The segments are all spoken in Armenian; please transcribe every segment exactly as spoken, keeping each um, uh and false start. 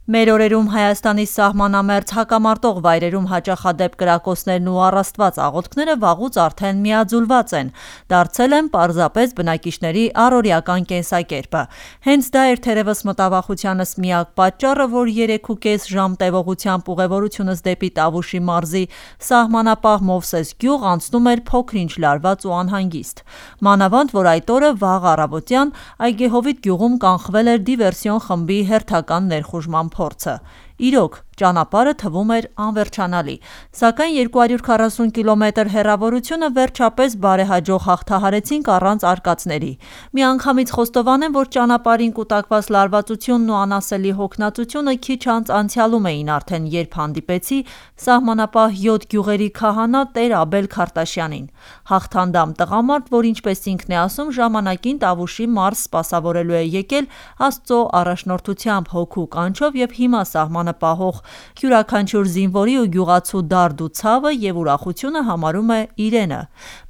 Մեր օրերում Հայաստանի սահմանամերձ հակամարտող վայրերում հաճախադեպ կրակոցներն ու առաստված աղոթքները վաղուց արդեն միաձուլված են, դարձել են պարզապես բնակիչների առօրյական կենսակերպը։ Հենց դա էր թերևս մտավախությանս միակ պատճառը, որ երեք ու կես ժամ տևողությամբ ուղևորությունս դեպի Տավուշի մարզի սահմանապահ Մովսես գյուղ անցնում էր փոքր-ինչ լարված ու անհանգիստ։ Մանավանդ, որ այդ օրը վաղ առավոտյան Այգեհովիտ գյուղում կանխվել էր դիվերսիոն խմբի հերթական ներխուժման փորձը։ Իրոք, ճանապարհը թվում էր անվերջանալի, սակայն երկու հարյուր քառասուն կիլոմետր հեռավորությունը վերջապես բարեհաջող հաղթահարեցինք առանց արկածների։ Միանգամից խոստովանեմ, որ ճանապարհին կուտակված լարվածությունն ու անասելի հոգնածությունը քիչ անց անցյալում էին արդեն, երբ հանդիպեցի սահմանապահ յոթ գյուղերի քահանա Տեր Աբել Քարտաշյանին, հաղթանդամ տղամարդ, որ ինչպես ինքն է ասում, ժամանակին Տավուշի մարզ սպասավորելու է եկել Աստծո առաջնորդությամբ, հոգու կանչով եւ հիմա սահմանը պահող յուրաքանչյուր զինվորի ու գյուղացու դարդ ու ցավը եւ ուրախությունը համարում է իրենը,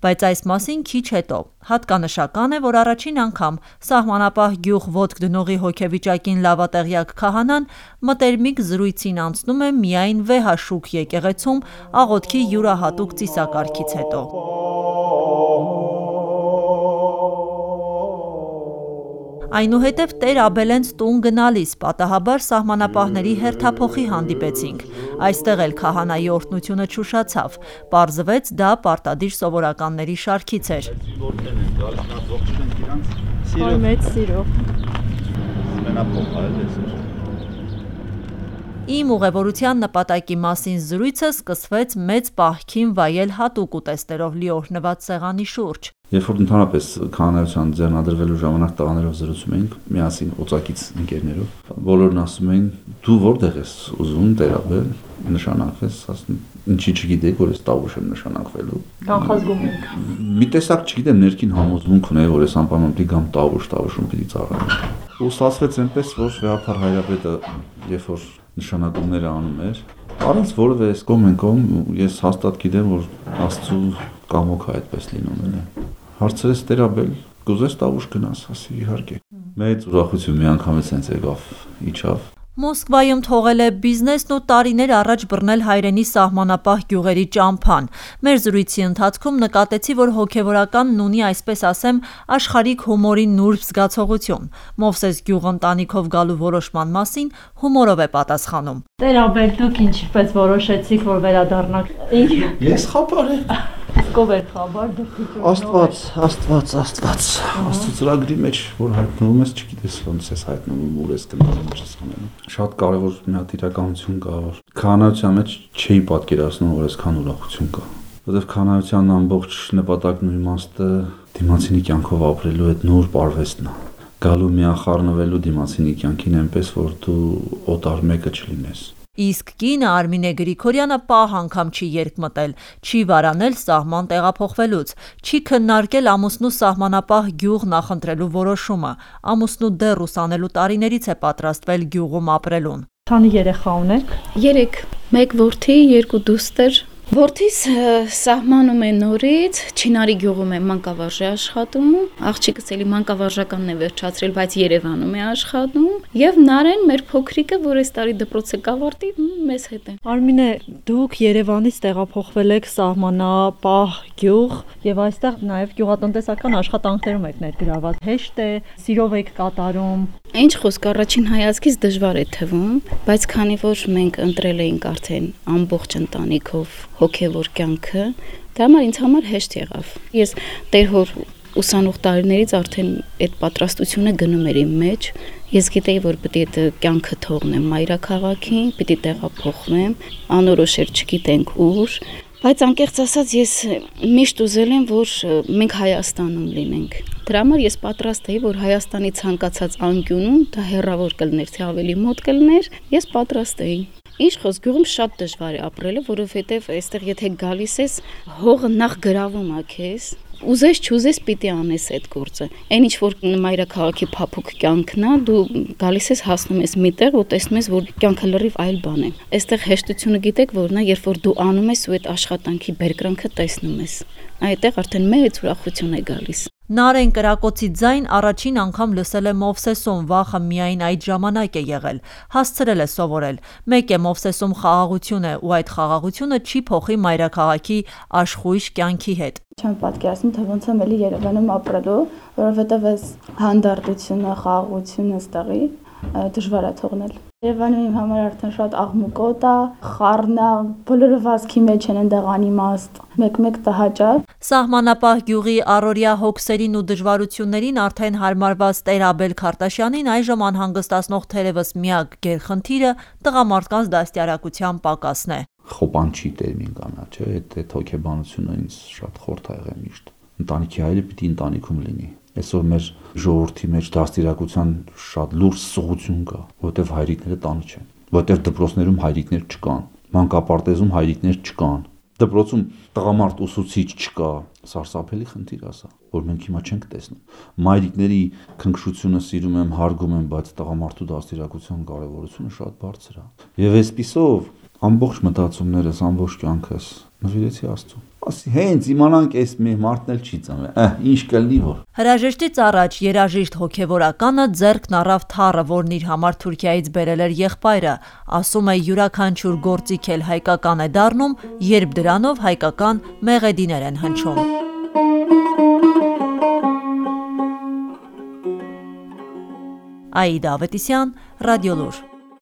բայց այս մասին քիչ հետո։ Հատկանշական է, որ առաջին անգամ սահմանապահ գյուղ ոտք դնողի հոգեվիճակին լավատեղյակ քահանան մտերմիկ զրույցին անցնում է միայն վեհաշուք եկեղեցում աղոթքի յուրահատուկ ծիսակարգից հետո։ Այնուհետև Տեր Աբելենց տուն գնալիս պատահաբար սահմանապահների հերթափոխի հանդիպեցինք։ Այստեղ էլ քահանայի օրհնությունը չուշացավ, պարզվեց դա պարտադիր սովորականների շարքից էր։ Իմ ուղևորության նպատակի մասին զրույցը սկսվեց մեծ պահքին վայել հատուկ ուտեստերով լի օրհնված սեղանի շուրջ։ Երբ որ ընդհանրապես քահանայության ձեռնադրվելու ժամանակ տղաներով զրուցում էինք, միասին օծակից ընկերներով, բոլորն ասում էին՝ դու որտեղ ես ուզում Տեր Աբել նշանակվես, ասում ինչի չգիտեի, որ ես Տավուշ եմ նշանակվելու։ Կանխազգում ենք։ Մի տեսակ չգիտեմ ներքին համոզմունք ունեի, որ ես անպայման պիտի գամ Տավուշ, Տավուշում պիտի ծառայեմ։ Ու ստացվեց այնպես, որ Վեհափար Հայրապետը, երբ որ նշանակումները անում էր, առանց որևէ կոմենկոմ, ես հաստատ գիտեմ, որ Աստծո կամոքը այդպես լինում է։ Հարցրեց Տեր Աբել, կուզես Տավուշ գնաս, ասի իհարկե։ Մեծ ուրախություն միանգամից հենց եկավ, իջավ։ Մոսկվայում թողել է բիզնեսն ու տարիներ առաջ բռնել հայրենի սահմանապահ գյուղերի ճամփան։ Մեր զրույցի ընթացքում նկատեցի, որ հոգևորականն ունի, այսպես ասեմ, աշխարհիկ հումորի նուրբ զգացողություն։ Մովսես գյուղ ընտանիքով գալու որոշման մասին հումորով է պատասխանում։ Տեր Աբել, դուք ինչպես որոշեցիք, որ վերադառնաք։ Ես խաբար եմ։ Ով էր խաբար, դուք։ Աստված, Աստված, Աստված։ Աստծո ծրագրի մեջ, որ հայտնվում ես, չգիտես ոնց ես հայտնվում, ուր ես գնում, ինչ ես անում։ Շատ կարևոր մի հատ իրականություն կա, որ քահանայության մեջ չէի պատկերացնում, որ այսքան ուրախություն կա, որովհետև քահանայության ամբողջ նպատակն ու իմաստը դիմացինի կյանքով ապրելու այդ նոր պարվեստն է, գալու միախառնվելու դիմացինի կյանքին այնպես, որ դու օտար մեկը չլինես։ Իսկ կինը Արմինե Գրիգորյանը պահ անգամ չի երկմտել, չի վարանել սահման տեղափոխվելուց, չի քննարկել ամուսնու սահմանապահ գյուղ նախընտրելու որոշումը, ամուսնու դեռ ուսանելու տարիներից է պատրաստվել գյուղում ապրելուն։ Քանի երեխա ունեք։ Երեք, մեկ որդի, երկու դուստր։ Որդիս սահմանում է նորից, Չինարի գյուղում է մանկավարժի աշխատում, աղջիկս էլի մանկավարժականն է վերջացրել, բայց Երևանում է աշխատում, եւ Նարեն մեր փոքրիկը, որ այս տարի դպրոցը կավարտի, մեզ հետ է։ Արմինե, դուք Երևանից տեղափոխվել եք սահմանապահ գյուղ եւ այստեղ նաեւ գյուղատնտեսական աշխատանքներում եք ներգրաված։ Հեշտ է, սիրով եք կատարում։ Ինչ խոսք, առաջին հայացքից դժվար է թվում, բայց քանի որ մենք ընտրել էինք արդեն ամբողջ ընտանիքով հոգևոր կյանքը, դա համար ինձ համար հեշտ եղավ։ Ես Տեր հոր ուսանող տարիներից արդեն այդ պատրաստությունը գնում էր իմ մեջ։ Ես գիտեի, որ պետք է այդ կյանքը թողնեմ մայրաքաղաքին, պետք է տեղափոխվեմ, անորոշ էր, չգիտենք ուր, բայց անկեղծ ասած ես միշտ ուզել եմ, որ մենք Հայաստանում լինենք։ Դրա համար ես պատրաստ էի, որ Հայաստանի ցանկացած անկյունում, դա հեռավոր կլներ, թե ավելի մոտ կլներ, ես պատրաստ էի։ Ինչ խոսք, գյուղում շատ դժվար է ապրելը, որովհետև այստեղ եթե գալիս ես, հողը նախ գրավում է քեզ, ուզես չուզես պիտի անես այդ գործը։ Այն ինչ որ մայրաքաղաքի փափուկ կյանքն է, դու գալիս ես հասնում ես մի տեղ ու տեսնում ես, որ կյանքը լրիվ այլ բան է։ Այստեղ հեշտությունը գիտեք որն է, երբ որ դու անում ես ու այդ աշխատանքի բերկրանքը տեսնում ես։ Այդտեղ արդեն մեծ ուրախություն է գալիս։ Նարեն կրակոցի ձայն առաջին անգամ լսել է Մովսեսում, վախը միայն այդ ժամանակ է եղել, հասցրել է սովորել։ Մեկ է Մովսեսում խաղաղություն է ու այդ խաղաղությունը չի փոխի մայրաքաղաքի աշխույժ կյանքի հետ։ Չեմ պատկերացնում, թե ոնց եմ էլի Երևանում ապրելու, որովհետև այս հանդարտությունը, խաղաղությունը ստեղի դժվար է թողնել։ Երևանը իմ համար արդեն շատ աղմուկոտ է, խառն է, բոլորը վազքի մեջ են այնտեղ անիմաստ, մեկ-մեկ տհաճա։ Սահմանապահ գյուղի առօրյա հոգսերին ու դժվարություններին արդեն հարմարված Տեր Աբել Քարտաշյանին այժմ անհանգստացնող թերևս միակ գերխնդիրը տղամարդկանց դաստիարակության պակասն է։ Խոպանչի տերմին կանա, չէ՞, այդ հոգեբանությունը ինձ շատ խորթ ա եղել միշտ։ Ընտանիքի հայրը պիտի ընտանիքում լինի։ Այսօր մեր ժողովրդի մեջ դաստիարակության շատ լուրջ սղություն կա, որտեղ հայրիկները տանը չեն, որտեղ դպրոցներում հայրիկներ չկան, մանկապարտեզում հայրիկներ չկան, դպրոցում տղամարդ ուսուցիչ չկա, սարսափելի խնդիր է սա, որ մենք հիմա չենք տեսնում։ Մայրիկների քնքշությունը սիրում եմ, հարգում եմ, բայց տղամարդու դաստիարակության կարևորությունը շատ բարձր է։ Եվ այսպիսով ամբողջ մտածումներս, ամբողջ կյանքս նվիրեցի Աստծուն։ Ասի հենց իմանանք այս մի մարդն էլ չի ծնվել, ահ, ինչ կլինի որ։ Հրաժեշտից առաջ երաժիշտ հոգևորականը ձեռքն առավ թառը, որն իր համար Թուրքիայից բերել էր եղբայրը, ասում է յուրաքանչյուր գործիք էլ հայկական է դառնում, երբ դրանով հայկական մեղեդիներ են հնչում։ Աիդա Ավետիսյան, Ռադիոլուր։